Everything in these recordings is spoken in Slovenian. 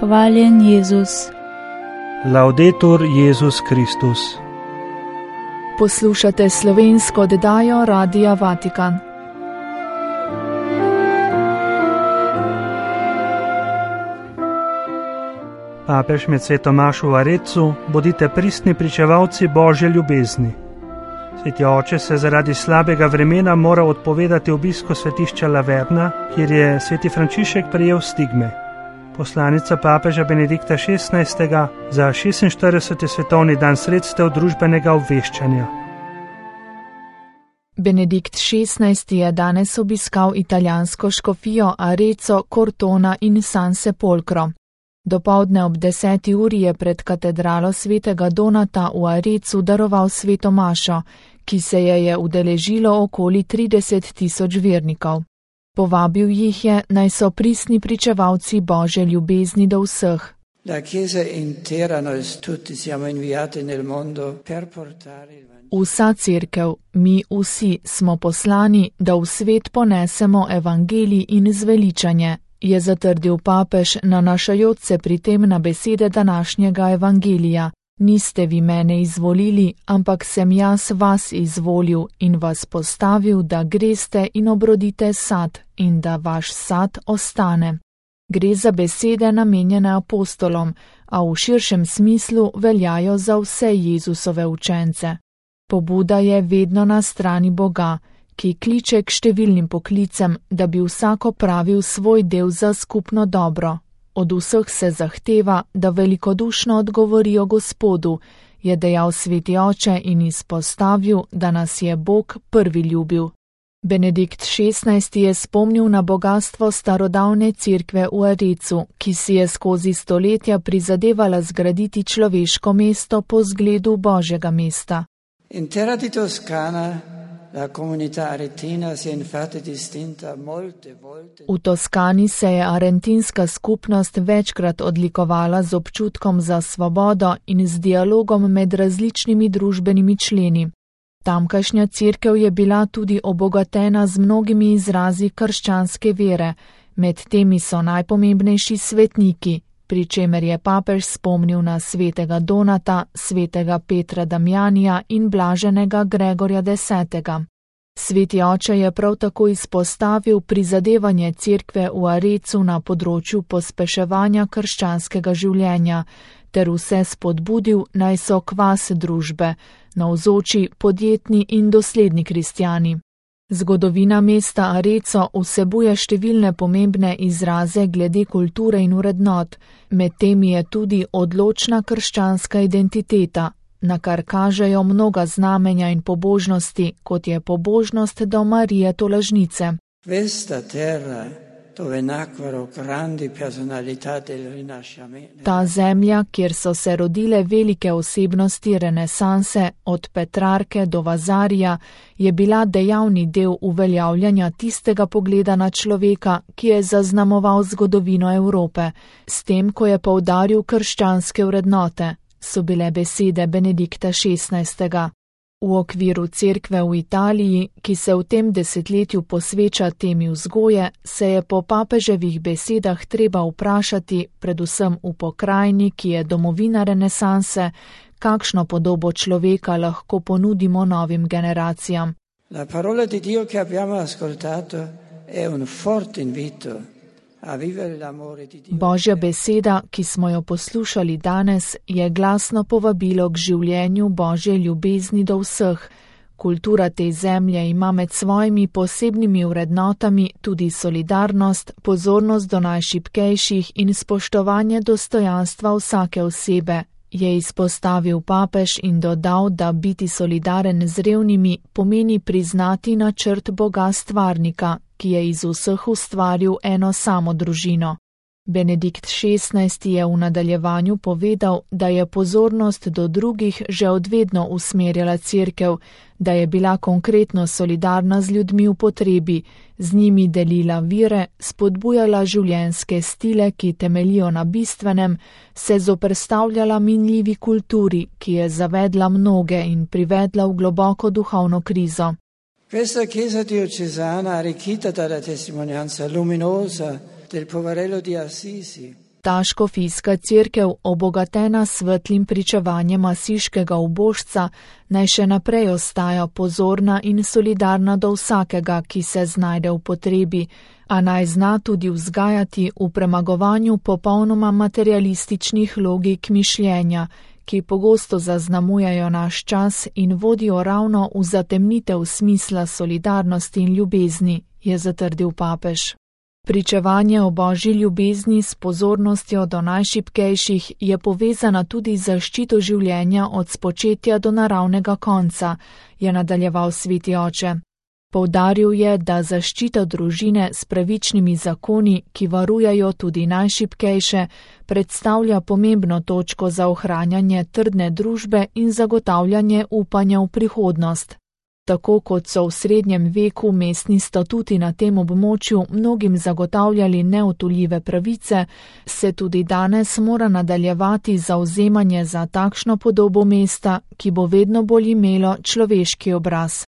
Hvaljen Jezus. Laudetur Jezus Kristus. Poslušate slovensko oddajo Radia Vatikan. Papež med Svetomašo v Arecu, bodite pristni pričevalci Božje ljubezni. Sveti oče se zaradi slabega vremena mora odpovedati obisku svetišča Laverna, kjer je sveti Frančišek prejel stigme. Poslanica papeža Benedikta XVI. Za 46. svetovni dan sredstev družbenega obveščanja. Benedikt XVI. Je danes obiskal italijansko škofijo Areco, Cortona in San Sepolcro. Dopoldne ob 10. uri je pred katedralo svetega Donata v Arecu daroval sveto mašo, ki se je udeležilo okoli 30.000 vernikov. Povabil jih je, naj so pristni pričevalci Božje ljubezni do vseh. Vsa cerkev, mi vsi smo poslani, da v svet ponesemo evangelij in zveličanje, je zatrdil papež, nanašajoč se pri tem na besede današnjega evangelija. Niste vi mene izvolili, ampak sem jaz vas izvolil in vas postavil, da greste in obrodite sad in da vaš sad ostane. Gre za besede namenjene apostolom, a v širšem smislu veljajo za vse Jezusove učence. Pobuda je vedno na strani Boga, ki kliče k številnim poklicem, da bi vsak opravil svoj del za skupno dobro. Od vseh se zahteva, da velikodušno odgovorijo Gospodu, je dejal sveti oče in izpostavil, da nas je Bog prvi ljubil. Benedikt XVI. Je spomnil na bogastvo starodavne cerkve v Arecu, ki si je skozi stoletja prizadevala zgraditi človeško mesto po zgledu Božjega mesta. In terra di Toscana la comunità aretina si è infatti distinta molte volte. V Toskani se je arentinska skupnost večkrat odlikovala z občutkom za svobodo in z dialogom med različnimi družbenimi členi. Tamkajšnja cerkev je bila tudi obogatena z mnogimi izrazi krščanske vere, med temi so najpomembnejši svetniki, pri čemer je papež spomnil na svetega Donata, svetega Petra Damjanija in blaženega Gregorja X. Sveti oče je prav tako izpostavil prizadevanje cerkve v Arecu na področju pospeševanja krščanskega življenja, ter vse spodbudil, naj so kvas družbe, navzoči, podjetni in dosledni kristjani. Zgodovina mesta Areco vsebuje številne pomembne izraze glede kulture in vrednot, med temi je tudi odločna krščanska identiteta, na kar kažejo mnoga znamenja in pobožnosti, kot je pobožnost do Marije Tolažnice. Ta zemlja, kjer so se rodile velike osebnosti renesanse, od Petrarke do Vazarija, je bila dejavni del uveljavljanja tistega pogleda na človeka, ki je zaznamoval zgodovino Evrope, s tem, ko je poudaril krščanske vrednote, so bile besede Benedikta XVI. V okviru cerkve v Italiji, ki se v tem desetletju posveča temi vzgoje, se je po papeževih besedah treba vprašati, predvsem v pokrajini, ki je domovina renesanse, kakšno podobo človeka lahko ponudimo novim generacijam. La parola di Dio che abbiamo ascoltato è un forte invito. Božja beseda, ki smo jo poslušali danes, je glasno povabilo k življenju Božje ljubezni do vseh. Kultura te zemlje ima med svojimi posebnimi vrednotami tudi solidarnost, pozornost do najšibkejših in spoštovanje dostojanstva vsake osebe, je izpostavil papež in dodal, da biti solidaren z revnimi pomeni priznati načrt Boga stvarnika, ki je iz vseh ustvaril eno samo družino. Benedikt XVI. Je v nadaljevanju povedal, da je pozornost do drugih že odvedno usmerjala cerkev, da je bila konkretno solidarna z ljudmi v potrebi, z njimi delila vire, spodbujala življenjske stile, ki temeljijo na bistvenem, se zoperstavljala minljivi kulturi, ki je zavedla mnoge in privedla v globoko duhovno krizo. Questa chiesa diocesana, arricchita dalla testimonianza luminosa del poverello di Assisi, Ta škofijska cerkev, obogatena s svetlim pričevanjem asiškega ubožca, naj še naprej ostaja pozorna in solidarna do vsakega, ki se znajde v potrebi, a naj zna tudi vzgajati v premagovanju popolnoma materialističnih logik mišljenja, ki pogosto zaznamujejo naš čas in vodijo ravno v zatemnitev smisla solidarnosti in ljubezni, je zatrdil papež. Pričevanje o božji ljubezni s pozornostjo do najšibkejših je povezana tudi z zaščito življenja od spočetja do naravnega konca, je nadaljeval sveti oče. Poudaril je, da zaščita družine s pravičnimi zakoni, ki varujajo tudi najšibkejše, predstavlja pomembno točko za ohranjanje trdne družbe in zagotavljanje upanja v prihodnost. Tako kot so v srednjem veku mestni statuti na tem območju mnogim zagotavljali neodtujljive pravice, se tudi danes mora nadaljevati zavzemanje za takšno podobo mesta, ki bo vedno bolj imelo človeški obraz.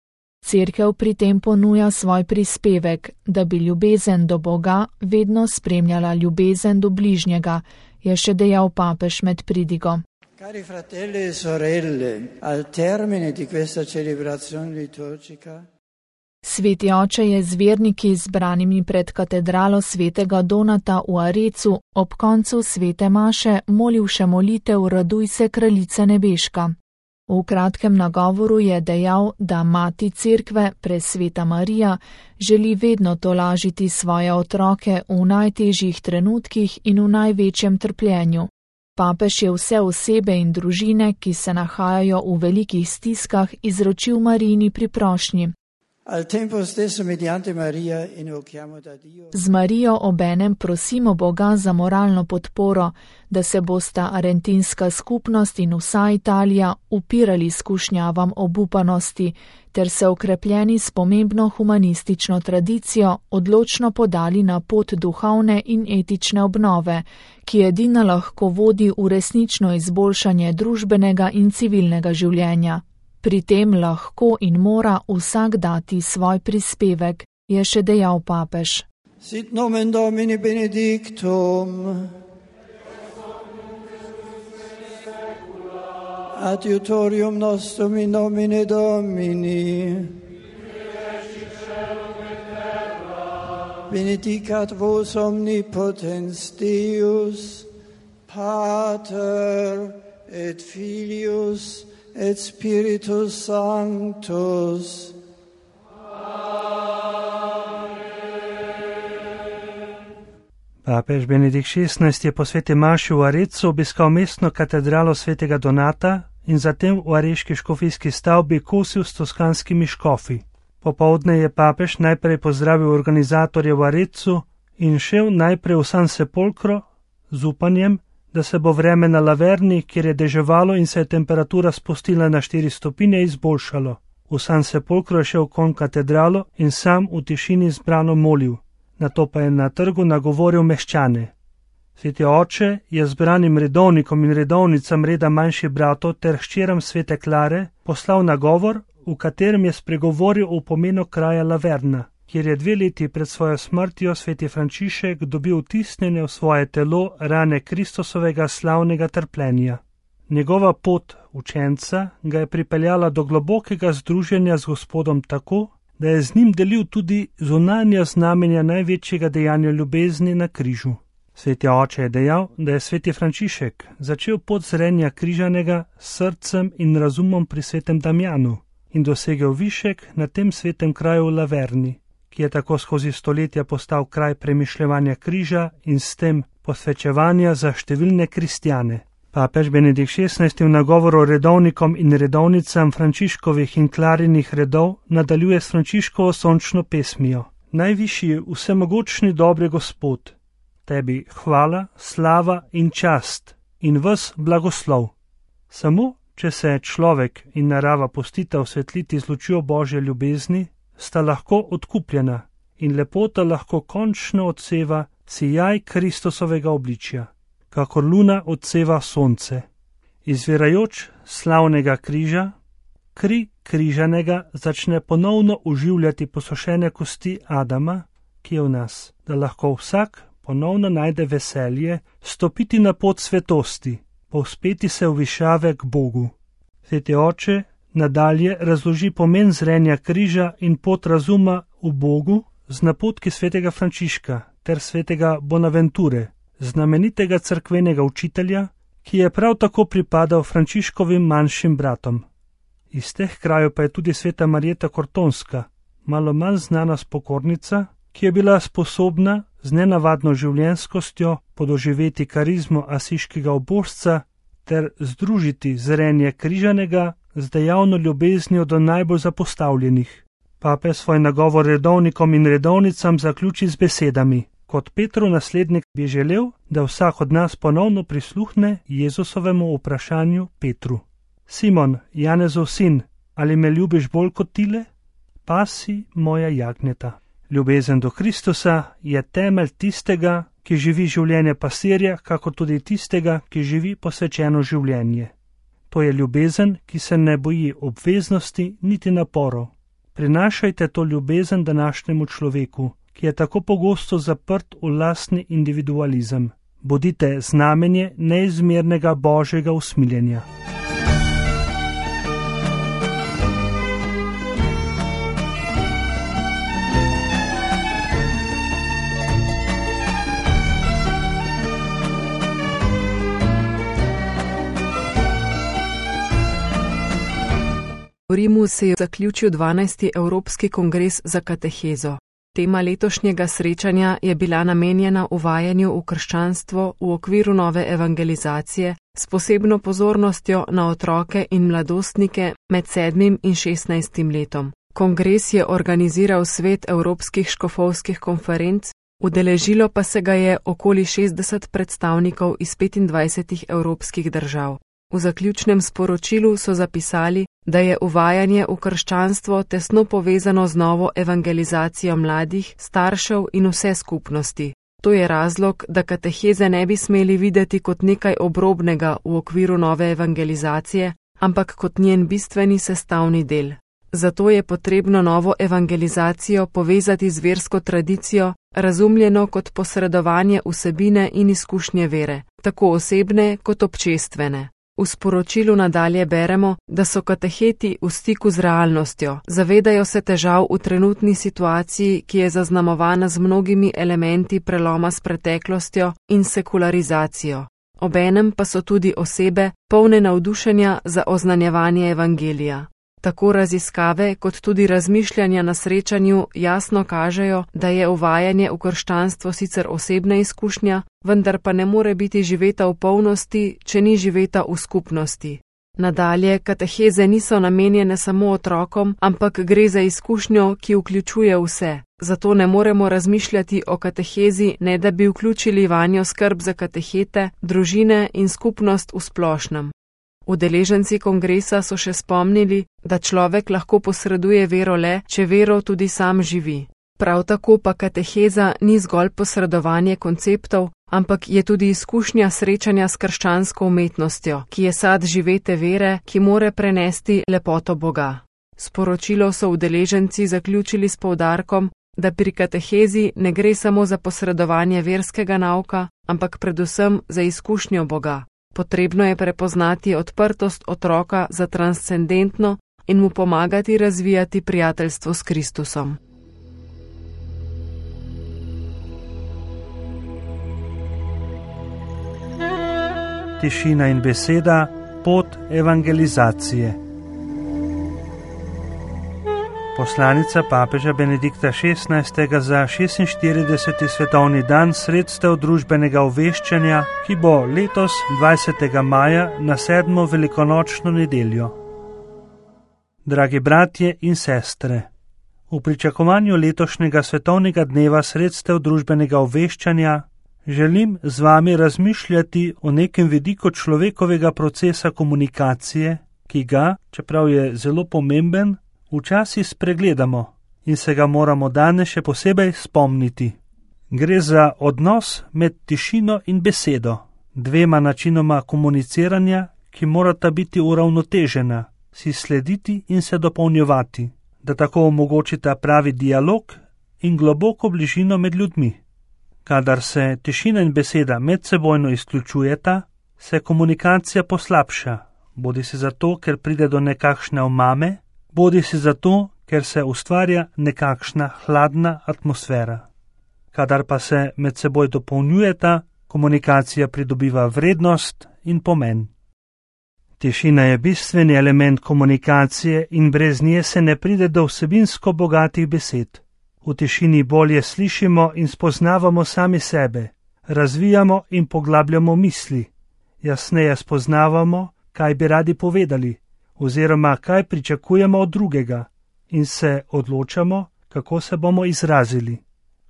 Cerkev pri tem ponuja svoj prispevek, da bi ljubezen do Boga vedno spremljala ljubezen do bližnjega, je še dejal papež med pridigo. Cari fratelli e sorelle, al termine di questa celebrazione liturgica, Sveti oče je z verniki zbranimi pred katedralo svetega Donata v Arecu ob koncu svete maše molil še molitev Raduj se, kraljice nebeška. V kratkem nagovoru je dejal, da mati cerkve, presveta Marija, želi vedno tolažiti svoje otroke v najtežjih trenutkih in v največjem trpljenju. Papež je vse osebe in družine, ki se nahajajo v velikih stiskah, izročil Marijini pri prošnji. Z Marijo obenem prosimo Boga za moralno podporo, da se bosta arentinska skupnost in vsa Italija upirali skušnjavam obupanosti, ter se okrepljeni s pomembno humanistično tradicijo odločno podali na pot duhovne in etične obnove, ki edina lahko vodi v resnično izboljšanje družbenega in civilnega življenja. Pri tem lahko in mora vsak dati svoj prispevek, je še dejal papež. Sit nomen Domini benedictum, adiutorium nostrum in nomine Domini, benedicat vos omnipotens Deus, Pater et Filius et Spiritus Sanctus. Papež Benedikt XVI je po sveti maši v Arecu obiskal mestno katedralo svetega Donata in zatem v areški škofijski stavbi kosil s toskanskimi škofi. Popoldne je papež najprej pozdravil organizatorje v Arecu in šel najprej v San Sepolcro z upanjem, da se bo vreme na Laverni, kjer je deževalo in se je temperatura spustila na 4 stopinje, izboljšalo. V San Sepolcro je šel kon katedralo in sam v tišini zbrano molil. Nato pa je na trgu nagovoril meščane. Sveti oče je zbranim redovnikom in redovnicam reda manjših bratov ter hčeram svete Klare poslal nagovor, v katerem je spregovoril o pomenu kraja Laverna, kjer je 2 leti pred svojo smrtjo sveti Frančišek dobil vtisnjene v svoje telo rane Kristusovega slavnega trpljenja. Njegova pot učenca ga je pripeljala do globokega združenja z Gospodom tako, da je z njim delil tudi zunanja znamenja največjega dejanja ljubezni na križu. Sveti oče je dejal, da je sveti Frančišek začel pot zrenja križanega s srcem in razumom pri svetem Damjanu in dosegel višek na tem svetem kraju v Laverni, ki je tako skozi stoletja postal kraj premišljevanja križa in s tem posvečevanja za številne kristjane. Papež Benedikt XVI v nagovoru redovnikom in redovnicam Frančiškovih in Klarinih redov nadaljuje s Frančiškovo sončno pesmijo. Najvišji vsemogočni dobri Gospod, tebi hvala, slava in čast in ves blagoslov. Samo, če se človek in narava pustita osvetliti z lučjo Božje ljubezni, sta lahko odkupljena in lepota lahko končno odseva sijaj Kristusovega obličja, kakor luna odseva sonce. Izvirajoč slavnega križa, kri križanega začne ponovno oživljati posušene kosti Adama, ki je v nas, da lahko vsak ponovno najde veselje stopiti na pot svetosti, povzpeti se v višave k Bogu. Sveti oče nadalje razloži pomen zrenja križa in pot razuma v Bogu z napotki svetega Frančiška ter svetega Bonaventure, znamenitega cerkvenega učitelja, ki je prav tako pripadal Frančiškovim manjšim bratom. Iz teh krajev pa je tudi sveta Marjeta Kortonska, malo manj znana spokornica, ki je bila sposobna z nenavadno življenjskostjo podoživeti karizmo asiškega ubožca ter združiti zrenje križanega z dejavno ljubeznijo do najbolj zapostavljenih. Pape svoj nagovor redovnikom in redovnicam zaključi z besedami: kot Petrov naslednik bi želel, da vsak od nas ponovno prisluhne Jezusovemu vprašanju Petru. Simon, Janezov sin, ali me ljubiš bolj kot tile? Pasi moja jagnjeta. Ljubezen do Kristusa je temelj tistega, ki živi življenje pastirja, kakor tudi tistega, ki živi posvečeno življenje. To je ljubezen, ki se ne boji obveznosti niti naporov. Prinašajte to ljubezen današnjemu človeku, ki je tako pogosto zaprt v lastni individualizem. Bodite znamenje neizmernega Božjega usmiljenja. V Rimu se je zaključil 12. Evropski kongres za katehezo. Tema letošnjega srečanja je bila namenjena uvajanju v krščanstvo v okviru nove evangelizacije s posebno pozornostjo na otroke in mladostnike med 7. in 16. letom. Kongres je organiziral svet evropskih škofovskih konferenc, udeležilo pa se ga je okoli 60 predstavnikov iz 25 evropskih držav. V zaključnem sporočilu so zapisali, da je uvajanje v krščanstvo tesno povezano z novo evangelizacijo mladih, staršev in vse skupnosti. To je razlog, da kateheze ne bi smeli videti kot nekaj obrobnega v okviru nove evangelizacije, ampak kot njen bistveni sestavni del. Zato je potrebno novo evangelizacijo povezati z versko tradicijo, razumljeno kot posredovanje vsebine in izkušnje vere, tako osebne kot občestvene. V sporočilu nadalje beremo, da so kateheti v stiku z realnostjo, zavedajo se težav v trenutni situaciji, ki je zaznamovana z mnogimi elementi preloma s preteklostjo in sekularizacijo. Obenem pa so tudi osebe, polne navdušenja za oznanjevanje evangelija. Tako raziskave kot tudi razmišljanja na srečanju jasno kažejo, da je uvajanje v krščanstvo sicer osebna izkušnja, vendar pa ne more biti živeta v polnosti, če ni živeta v skupnosti. Nadalje, kateheze niso namenjene samo otrokom, ampak gre za izkušnjo, ki vključuje vse. Zato ne moremo razmišljati o katehezi, ne da bi vključili vanjo skrb za katehete, družine in skupnost v splošnem. Udeleženci kongresa so še spomnili, da človek lahko posreduje vero le, če vero tudi sam živi. Prav tako pa kateheza ni zgolj posredovanje konceptov, ampak je tudi izkušnja srečanja s krščansko umetnostjo, ki je sad živete vere, ki more prenesti lepoto Boga. Sporočilo so udeleženci zaključili s poudarkom, da pri katehezi ne gre samo za posredovanje verskega nauka, ampak predvsem za izkušnjo Boga. Potrebno je prepoznati odprtost otroka za transcendentno in mu pomagati razvijati prijateljstvo s Kristusom. Tišina in beseda, pot evangelizacije. Poslanica papeža Benedikta XVI. Za 46. svetovni dan sredstev družbenega obveščanja, ki bo letos 20. maja na 7. velikonočno nedeljo. Dragi bratje in sestre, v pričakovanju letošnjega svetovnega dneva sredstev družbenega obveščanja želim z vami razmišljati o nekem vidiku človekovega procesa komunikacije, ki ga, čeprav je zelo pomemben, včasih spregledamo in se ga moramo danes še posebej spomniti. Gre za odnos med tišino in besedo, dvema načinoma komuniciranja, ki morata biti uravnotežena, si slediti in se dopolnjevati, da tako omogočita pravi dialog in globoko bližino med ljudmi. Kadar se tišina in beseda medsebojno izključujeta, se komunikacija poslabša, bodisi zato, ker pride do nekakšne omame, bodisi zato, ker se ustvarja nekakšna hladna atmosfera. Kadar pa se med seboj dopolnjujeta, komunikacija pridobiva vrednost in pomen. Tišina je bistveni element komunikacije in brez nje se ne pride do vsebinsko bogatih besed. V tišini bolje slišimo in spoznavamo sami sebe, razvijamo in poglabljamo misli, jasneje spoznavamo, kaj bi radi povedali, oziroma kaj pričakujemo od drugega in se odločamo, kako se bomo izrazili.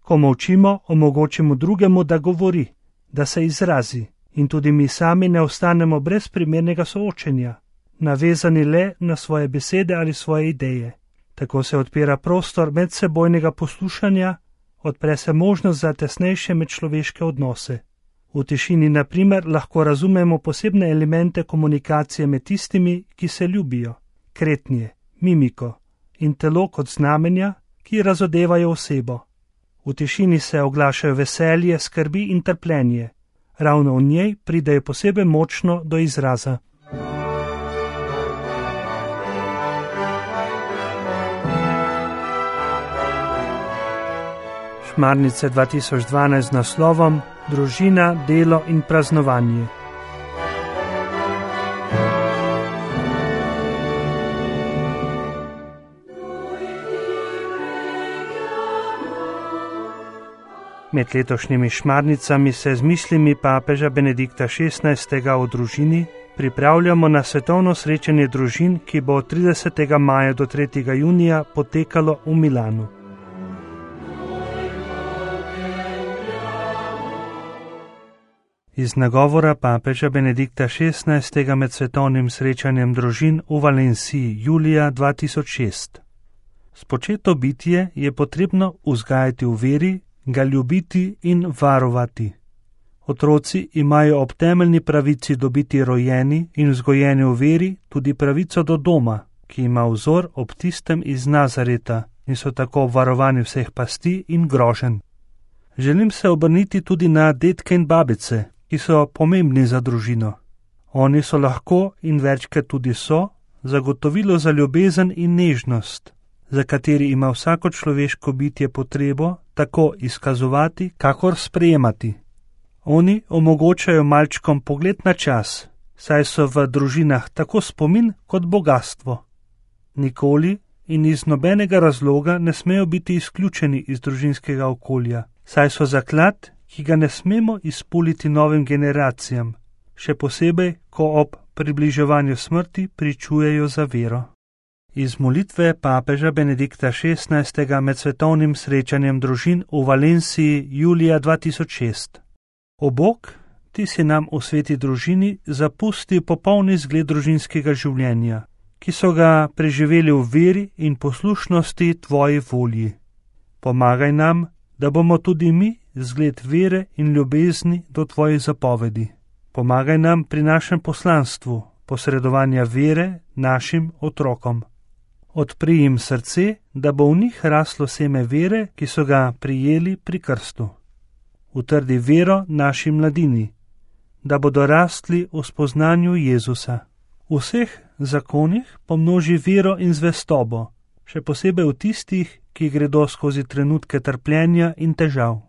Ko molčimo, omogočimo drugemu, da govori, da se izrazi in tudi mi sami ne ostanemo brez primernega soočenja, navezani le na svoje besede ali svoje ideje. Tako se odpira prostor medsebojnega poslušanja, odpre se možnost za tesnejše medčloveške odnose. V tišini, na primer, lahko razumemo posebne elemente komunikacije med tistimi, ki se ljubijo, kretnje, mimiko in telo kot znamenja, ki razodevajo osebo. V tišini se oglašajo veselje, skrbi in trpljenje. Ravno v njej pridejo posebej močno do izraza. Šmarnice 2012 z naslovom Družina, delo in praznovanje. Med letošnjimi šmarnicami se z mislimi papeža Benedikta XVI. O družini pripravljamo na svetovno srečanje družin, ki bo od 30. maja do 3. junija potekalo v Milanu. Iz nagovora papeža Benedikta XVI. Med svetovnim srečanjem družin v Valenciji julija 2006. Spočeto bitje je potrebno vzgajati v veri, ga ljubiti in varovati. Otroci imajo ob temeljni pravici dobiti rojeni in vzgojeni v veri tudi pravico do doma, ki ima vzor ob tistem iz Nazareta in so tako obvarovani vseh pasti in groženj. Želim se obrniti tudi na dedke in babice, ki so pomembni za družino. Oni so lahko in večkrat tudi so zagotovilo za ljubezen in nežnost, za kateri ima vsako človeško bitje potrebo tako izkazovati, kakor sprejemati. Oni omogočajo malčkom pogled na čas, saj so v družinah tako spomin kot bogatstvo. Nikoli in iz nobenega razloga ne smejo biti izključeni iz družinskega okolja, saj so zaklad, ki ga ne smemo izpuliti novim generacijam, še posebej, ko ob približevanju smrti pričujejo za vero. Iz molitve papeža Benedikta XVI. Med svetovnim srečanjem družin v Valenciji julija 2006. O Bog, ti si nam v sveti družini zapusti popolni zgled družinskega življenja, ki so ga preživeli v veri in poslušnosti tvoji volji. Pomagaj nam, da bomo tudi mi zgled vere in ljubezni do tvojih zapovedi. Pomagaj nam pri našem poslanstvu, posredovanja vere našim otrokom. Odpri jim srce, da bo v njih raslo seme vere, ki so ga prijeli pri krstu. Utrdi vero naši mladini, da bodo rastli v spoznanju Jezusa. V vseh zakonih pomnoži vero in zvestobo, še posebej v tistih, ki gredo skozi trenutke trpljenja in težav.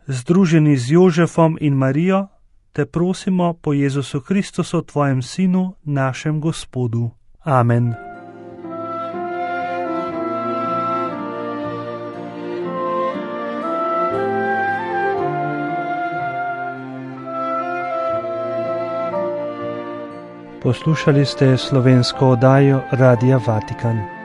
Združeni z Jožefom in Marijo, te prosimo po Jezusu Kristusu, tvojem sinu, našem Gospodu. Amen. Poslušali ste slovensko oddajo Radia Vatikan.